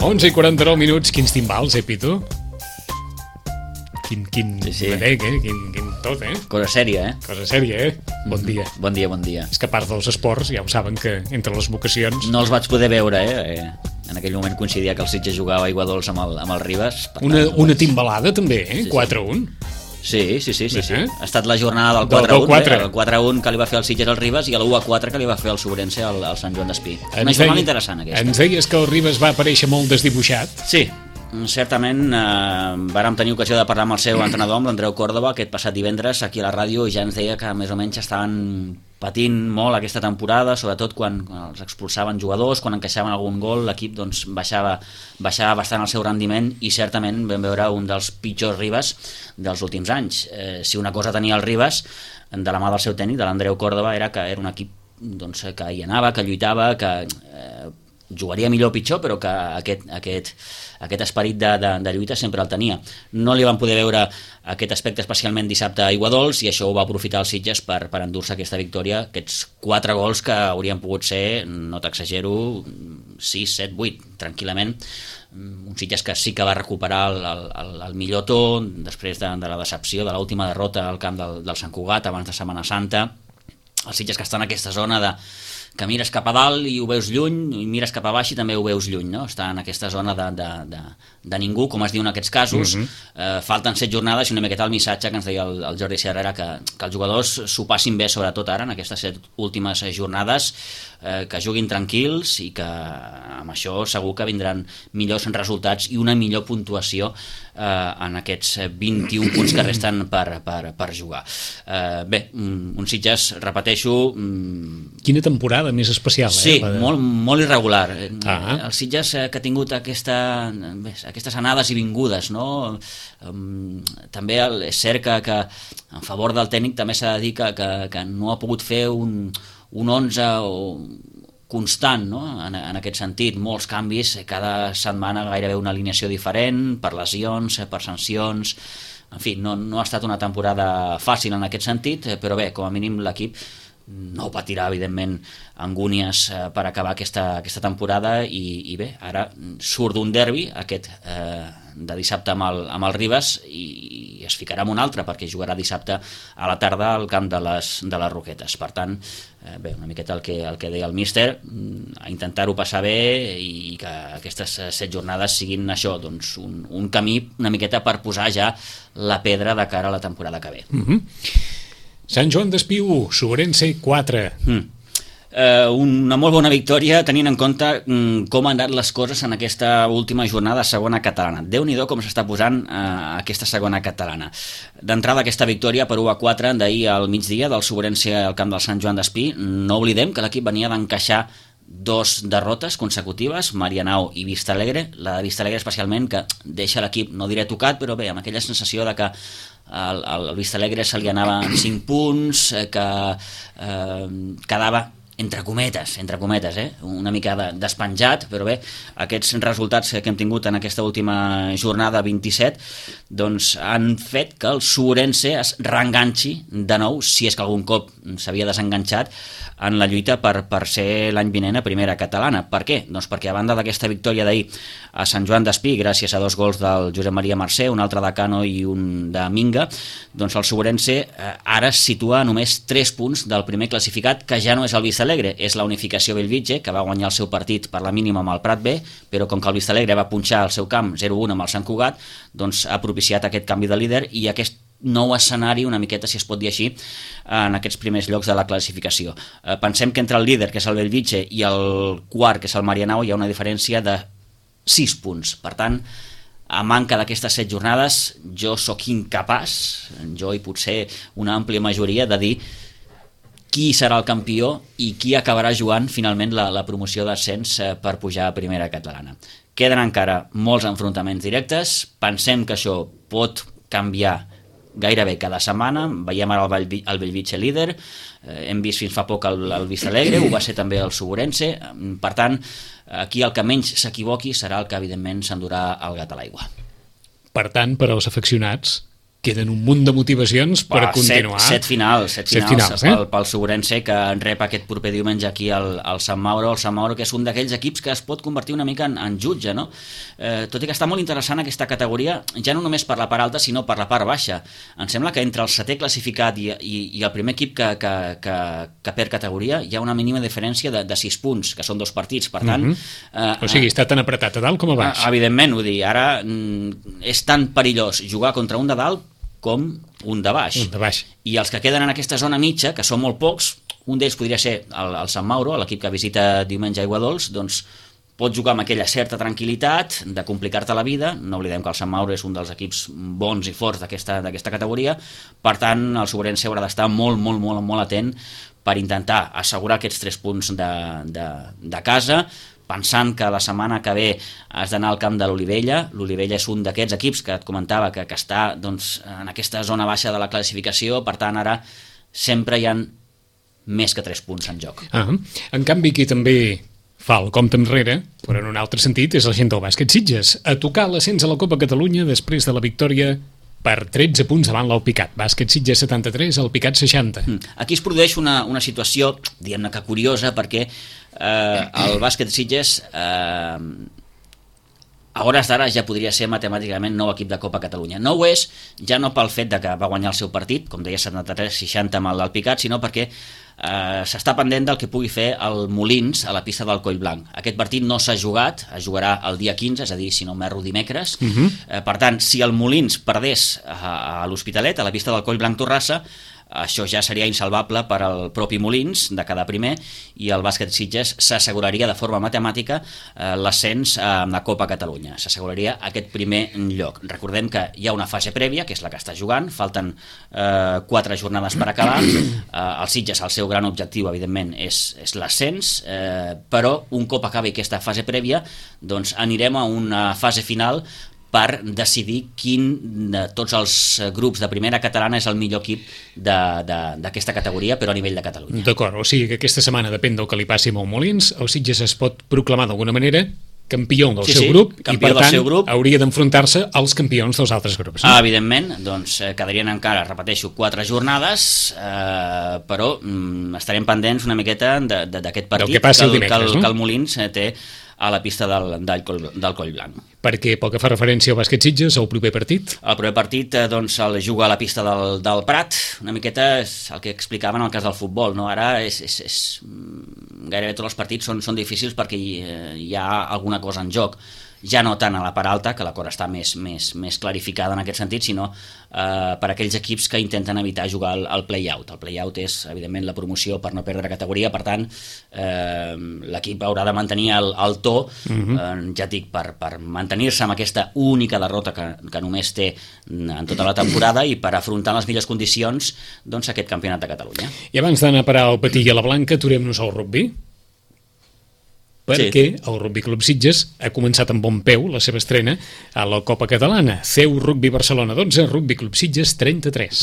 11:49, quins timbals, Pitu? Quin Sí. vedec, quin tot, Cosa sèria, Cosa sèria, Bon dia. Bon dia. És que a part dels esports, ja ho saben que entre les vocacions... No els vaig poder veure, En aquell moment coincidia que el Sitges jugava a Aigua Dols amb el Ribes. Una timbalada, també, Sí. 4-1. Sí. Ha estat la jornada del 4-1, el 4-1 que li va fer el Sitges al Ribes i el 1-4 que li va fer el Sobrense al Sant Joan d'Espí. Una jornada interessant, aquesta. Ens deies que el Ribes va aparèixer molt desdibuixat. Sí, certament vàrem tenir ocasió de parlar amb el seu entrenador, amb l'Andreu Córdoba, aquest passat divendres aquí a la ràdio, i ja ens deia que més o menys estaven patint molt aquesta temporada, sobretot quan els expulsaven jugadors, quan encaixaven algun gol, l'equip doncs, baixava bastant el seu rendiment i certament vam veure un dels pitjors Ribes dels últims anys. Si una cosa tenia el Ribes, de la mà del seu tècnic, de l'Andreu Córdoba, era que era un equip doncs, que hi anava, que lluitava, que jugaria millor o pitjor, però que aquest esperit de lluita sempre el tenia. No li van poder veure aquest aspecte especialment dissabte a Aiguadols i això ho va aprofitar el Sitges per endur-se aquesta victòria, aquests 4 gols que haurien pogut ser, no t'exagero, 6, 7, 8, tranquil·lament. Un Sitges que sí que va recuperar el millor to després de la decepció de l'última derrota al camp del Sant Cugat abans de Setmana Santa. El Sitges que està en aquesta zona que mires cap a dalt i ho veus lluny, i mires cap a baix i també ho veus lluny, no? Està en aquesta zona de ningú, com es diu en aquests casos. Falten 7 jornades i una miqueta el missatge que ens deia el Jordi Serra era que els jugadors s'ho passin bé, sobretot ara, en aquestes 7 últimes jornades, que juguin tranquils i que amb això segur que vindran millors resultats i una millor puntuació en aquests 21 punts que resten per jugar. Bé, un Sitges, repeteixo... Quina temporada més especial, Sí, molt irregular. El Sitges que ha tingut aquestes anades i vingudes, no? També és cert que en favor del tècnic també s'ha de dir que no ha pogut fer un 11 constant, no? En aquest sentit, molts canvis, cada setmana gairebé una alineació diferent, per lesions, per sancions, en fi, no ha estat una temporada fàcil en aquest sentit, però bé, com a mínim l'equip no patirà, evidentment, angúnies per acabar aquesta temporada i bé, ara surt d'un derbi, aquest de dissabte amb el Ribes, i es ficarà en un altre perquè jugarà dissabte a la tarda al camp de les Roquetes. Per tant, bé, una miqueta el que deia el míster, a intentar-ho passar bé i que aquestes 7 jornades siguin això, doncs un camí una miqueta per posar ja la pedra de cara a la temporada que ve. Sant Joan d'Espí 1, Sobrense 4. Una molt bona victòria tenint en compte com han anat les coses en aquesta última jornada de segona catalana. Déu-n'hi-do com s'està posant aquesta segona catalana. D'entrada aquesta victòria per 1-4 d'ahir al migdia del Sobrense al camp del Sant Joan d'Espí. No oblidem que l'equip venia d'encaixar 2 derrotes consecutives, Marianao i Vistalegre. La de Vistalegre especialment, que deixa l'equip, no diré tocat, però bé, amb aquella sensació de que al Vistalegre se li anaven 5 punts, que quedava entre cometes, una mica despenjat, però bé, aquests resultats que hem tingut en aquesta última jornada 27 doncs han fet que el Sobrense es reenganxi de nou, si és que algun cop s'havia desenganxat, en la lluita per ser l'any vinent a primera catalana. Per què? Doncs perquè a banda d'aquesta victòria d'ahir a Sant Joan d'Espí, gràcies a 2 gols del Josep Maria Mercè, un altre de Cano i un de Minga, doncs el Sobrense ara es situa a només 3 punts del primer classificat, que ja no és el Vistalegre, és la Unificació Bellvitge, que va guanyar el seu partit per la mínima amb el Prat B, però com que el Vistalegre va punxar al seu camp 0-1 amb el Sant Cugat, doncs ha propiciat aquest canvi de líder i aquest nou escenari, una miqueta, si es pot dir així, en aquests primers llocs de la classificació. Pensem que entre el líder, que és el Bellvitge, i el quart, que és el Marianao, hi ha una diferència de 6 punts. Per tant, a manca d'aquestes 7 jornades, jo sóc incapaç, jo i potser una àmplia majoria, de dir qui serà el campió i qui acabarà jugant finalment la promoció d'ascens per pujar a primera catalana. Queden encara molts enfrontaments directes, pensem que això pot canviar gairebé cada setmana. Veiem ara el Bellvitge líder, hem vist fins fa poc el Vistalegre, ho va ser també el Sobrense. Per tant, aquí el que menys s'equivoqui serà el que evidentment s'endurà el gat a l'aigua. Per tant, per als afeccionats, queden un munt de motivacions per continuar. Set finals pel Segurense, que rep aquest proper diumenge aquí al Sant Mauro. El Sant Mauro, que és un d'aquells equips que es pot convertir una mica en jutge, no? Tot i que està molt interessant aquesta categoria, ja no només per la part alta, sinó per la part baixa. Em sembla que entre el setè classificat i el primer equip que perd categoria hi ha una mínima diferència de 6 punts, que són 2 partits, per tant... O sigui, està tan apretat a dalt com a baix. Evidentment, vull dir, ara és tan perillós jugar contra un de dalt com un de baix. I els que queden en aquesta zona mitja, que són molt pocs, un d'ells podria ser el Sant Mauro, l'equip que visita diumenge a Aiguadols, doncs pot jugar amb aquella certa tranquil·litat de complicar-te la vida. No oblidem que el Sant Mauro és un dels equips bons i forts d'aquesta categoria, per tant el Segurense haurà d'estar molt atent per intentar assegurar aquests 3 punts de casa, pensant que la setmana que ve has d'anar al camp de l'Olivella. L'Olivella és un d'aquests equips que et comentava que està doncs, en aquesta zona baixa de la classificació, per tant ara sempre hi ha més que 3 punts en joc. En canvi, qui també fa el compte enrere, però en un altre sentit, és la gent del bàsquet Sitges, a tocar l'ascens a la Copa Catalunya després de la victòria per 13 punts davant l'Alpicat. Bàsquet Sitges 73, Alpicat 60. Aquí es produeix una situació, diguem-ne que curiosa, perquè el bàsquet Sitges a hores d'ara ja podria ser matemàticament nou equip de Copa Catalunya. No ho és, ja no pel fet de que va guanyar el seu partit, com deia 73-60 amb l'Alpicat, sinó perquè s'està pendent del que pugui fer el Molins a la pista del Collblanc. Aquest partit no s'ha jugat, es jugarà el dia 15, és a dir, si no m'erro, dimecres. Per tant, si el Molins perdés a l'Hospitalet, a la pista del Collblanc Torrassa, això ja seria insalvable per al propi Molins de quedar primer, i el bàsquet Sitges s'asseguraria de forma matemàtica l'ascens a la Copa Catalunya. S'asseguraria aquest primer lloc. Recordem que hi ha una fase prèvia, que és la que està jugant, falten 4 jornades per acabar. El Sitges, el seu gran objectiu, evidentment, és l'ascens, però un cop acabi aquesta fase prèvia, doncs anirem a una fase final per decidir quin de tots els grups de primera catalana és el millor equip d'aquesta categoria, però a nivell de Catalunya. D'acord, o sigui que aquesta setmana depèn del que li passi amb el Molins, el Sitges es pot proclamar d'alguna manera campió del seu grup, i per tant hauria d'enfrontar-se als campions dels altres grups. Evidentment, doncs quedarien encara, repeteixo, 4 jornades, però estarem pendents una miqueta d'aquest partit que el Molins té a la pista del Collblanc. Perquè pel que fa referència al bàsquet Sitges, el proper partit? El proper partit doncs, el juga a la pista del Prat, una miqueta és el que explicaven en el cas del futbol, no? Ara gairebé tots els partits són difícils perquè hi ha alguna cosa en joc. Ja no tant a la part alta, que la cosa està més clarificada en aquest sentit, sinó per aquells equips que intenten evitar jugar al play-out. El play-out és, evidentment, la promoció per no perdre categoria, per tant, l'equip haurà de mantenir el to, ja dic, per mantenir-se amb aquesta única derrota que només té en tota la temporada i per afrontar les millors condicions doncs, aquest campionat de Catalunya. I abans d'anar a parar al Patí i a la Blanca, aturem-nos al rugbi? Perquè el Rugby Club Sitges ha començat amb bon peu la seva estrena a la Copa Catalana. CEU Rugby Barcelona 12, Rugby Club Sitges 33.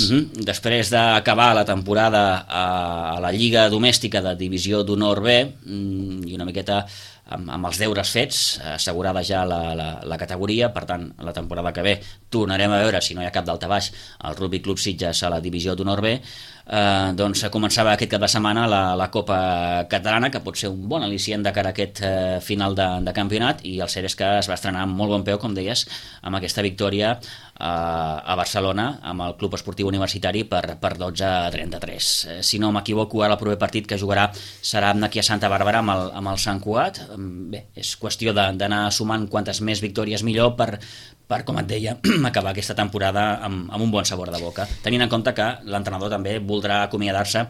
Després d'acabar la temporada a la Lliga Domèstica de Divisió d'Honor B i una miqueta amb els deures fets, assegurada ja la categoria, per tant, la temporada que ve tornarem a veure, si no hi ha cap daltabaix, el Rugby Club Sitges a la Divisió d'Honor B, doncs començava aquest cap de setmana la Copa Catalana, que pot ser un bon al·licient de cara a aquest final de campionat, i el cert és que es va estrenar amb molt bon peu, com deies, amb aquesta victòria a Barcelona, amb el Club Esportiu Universitari per 12-33. Si no m'equivoco, ara el proper partit que jugarà serà aquí a Santa Bàrbara amb el Sant Cugat. Bé, és qüestió d'anar sumant quantes més victòries millor per, com et deia, acabar aquesta temporada amb un bon sabor de boca, tenint en compte que l'entrenador també voldrà acomiadar-se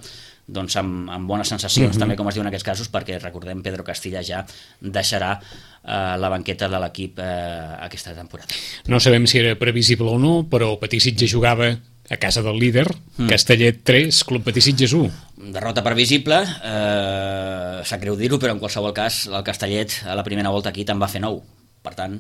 doncs amb bones sensacions, també com es diu en aquests casos, perquè recordem Pedro Castilla ja deixarà la banqueta de l'equip aquesta temporada. No sabem si era previsible o no, però el Patí Sitges jugava a casa del líder, Castellet 3, Club Patí Sitges 1. Derrota previsible, sap greu dir-ho, però en qualsevol cas el Castellet a la primera volta aquí te'n va fer 9. Per tant,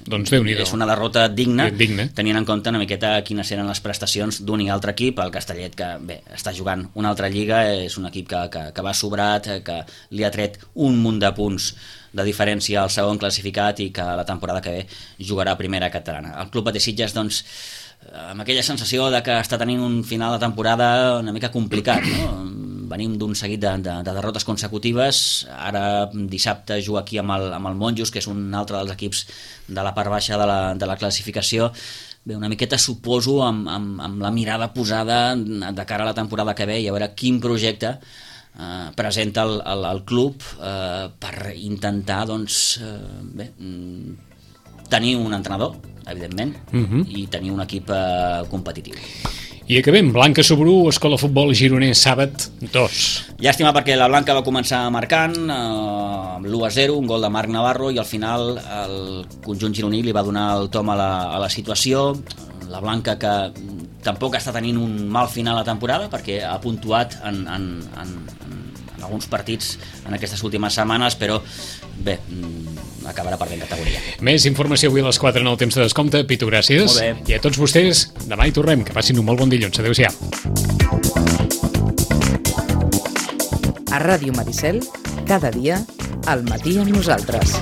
doncs és una derrota digna, tenint en compte una miqueta quines eren les prestacions d'un i altre equip. El Castellet, que bé, està jugant una altra lliga, és un equip que va sobrat, que li ha tret un munt de punts de diferència al segon classificat i que la temporada que ve jugarà a primera catalana. El Club Patí Sitges, doncs, amb aquella sensació de que està tenint un final de temporada una mica complicat, no? Venim d'un seguit de derrotes consecutives, ara dissabte juga aquí amb el Monjos, que és un altre dels equips de la part baixa de la classificació. Bé, una miqueta suposo amb la mirada posada de cara a la temporada que ve i a veure quin projecte presenta el club per intentar tenir un entrenador, evidentment, i tenir un equip competitiu. I acabem, Blanca Sobrú, Escola Futbol Gironès, Sàbat 2. Llàstima perquè la Blanca va començar marcant l'1-0, un gol de Marc Navarro, i al final el conjunt gironí li va donar el tom a la situació. La Blanca, que tampoc està tenint un mal final a temporada perquè ha puntuat en alguns partits en aquestes últimes setmanes, però bé, acabarà perdent categoria. Més informació avui a les 4 en el temps de descompte. Pitu, gràcies. Molt bé. I a tots vostès, demà hi tornem. Que passin un molt bon dilluns. Adéu-siau. A Ràdio Maricel, cada dia, al matí amb nosaltres.